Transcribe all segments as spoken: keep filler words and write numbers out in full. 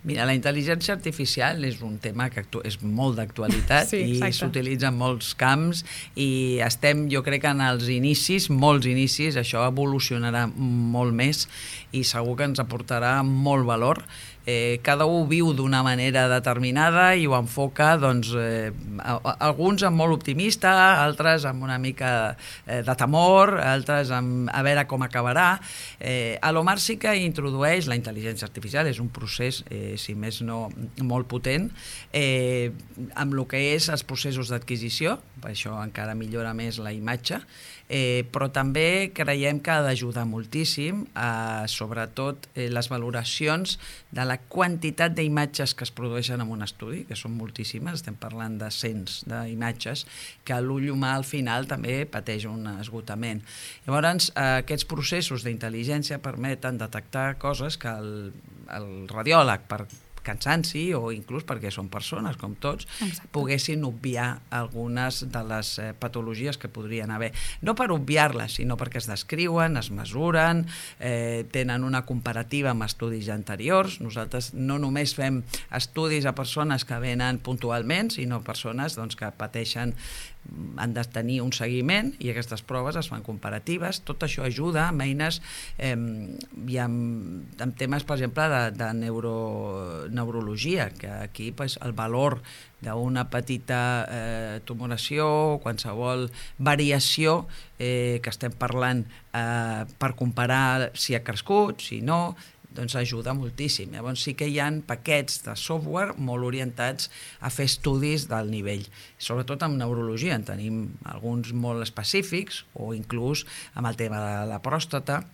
Mira, la intel·ligència artificial és un tema que és molt d'actualitat sí, i s'utilitza en molts camps i estem, jo crec, en els inicis, molts inicis, això evolucionarà molt més i segur que ens aportarà molt valor. Eh, cada un viu d'una manera determinada i ho enfoca, doncs, eh, alguns amb molt optimista, altres amb una mica eh, de temor, altres amb a veure com acabarà. Eh, a l'Omar sí que introdueix la intel·ligència artificial, és un procés, eh, si més no, molt potent, eh, amb el que és els processos d'adquisició, per això encara millora més la imatge, Eh, però també creiem que ha d'ajudar moltíssim a, sobretot, eh, les valoracions de la quantitat d'imatges que es produeixen en un estudi, que són moltíssimes, estem parlant de cents d'imatges, que l'ull humà al final també pateix un esgotament. Llavors, eh, aquests processos d'intel·ligència permeten detectar coses que el, el radiòleg, per cansanci o inclús perquè són persones, com tots, Exacte. Poguessin obviar algunes de les eh, patologies que podrien haver. No per obviar-les, sinó perquè es descriuen, es mesuren, eh, tenen una comparativa amb estudis anteriors. Nosaltres no només fem estudis a persones que venen puntualment, sinó persones doncs, que pateixen, han de tenir un seguiment i aquestes proves es fan comparatives. Tot això ajuda amb eines eh, i amb, amb temes, per exemple, de, de neuro, neurologia, que aquí pues, el valor d'una petita eh, tumoració, qualsevol variació eh, que estem parlant eh, per comparar si ha crescut, si no, doncs ajuda moltíssim. Llavors sí que hi ha paquets de software molt orientats a fer estudis del nivell. Sobretot amb neurologia en tenim alguns molt específics o inclús amb el tema de la pròstata,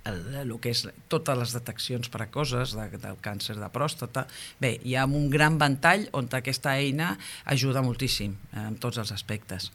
el, el que és totes les deteccions precoces de, del càncer de pròstata. Bé, hi ha un gran ventall on aquesta eina ajuda moltíssim en tots els aspectes.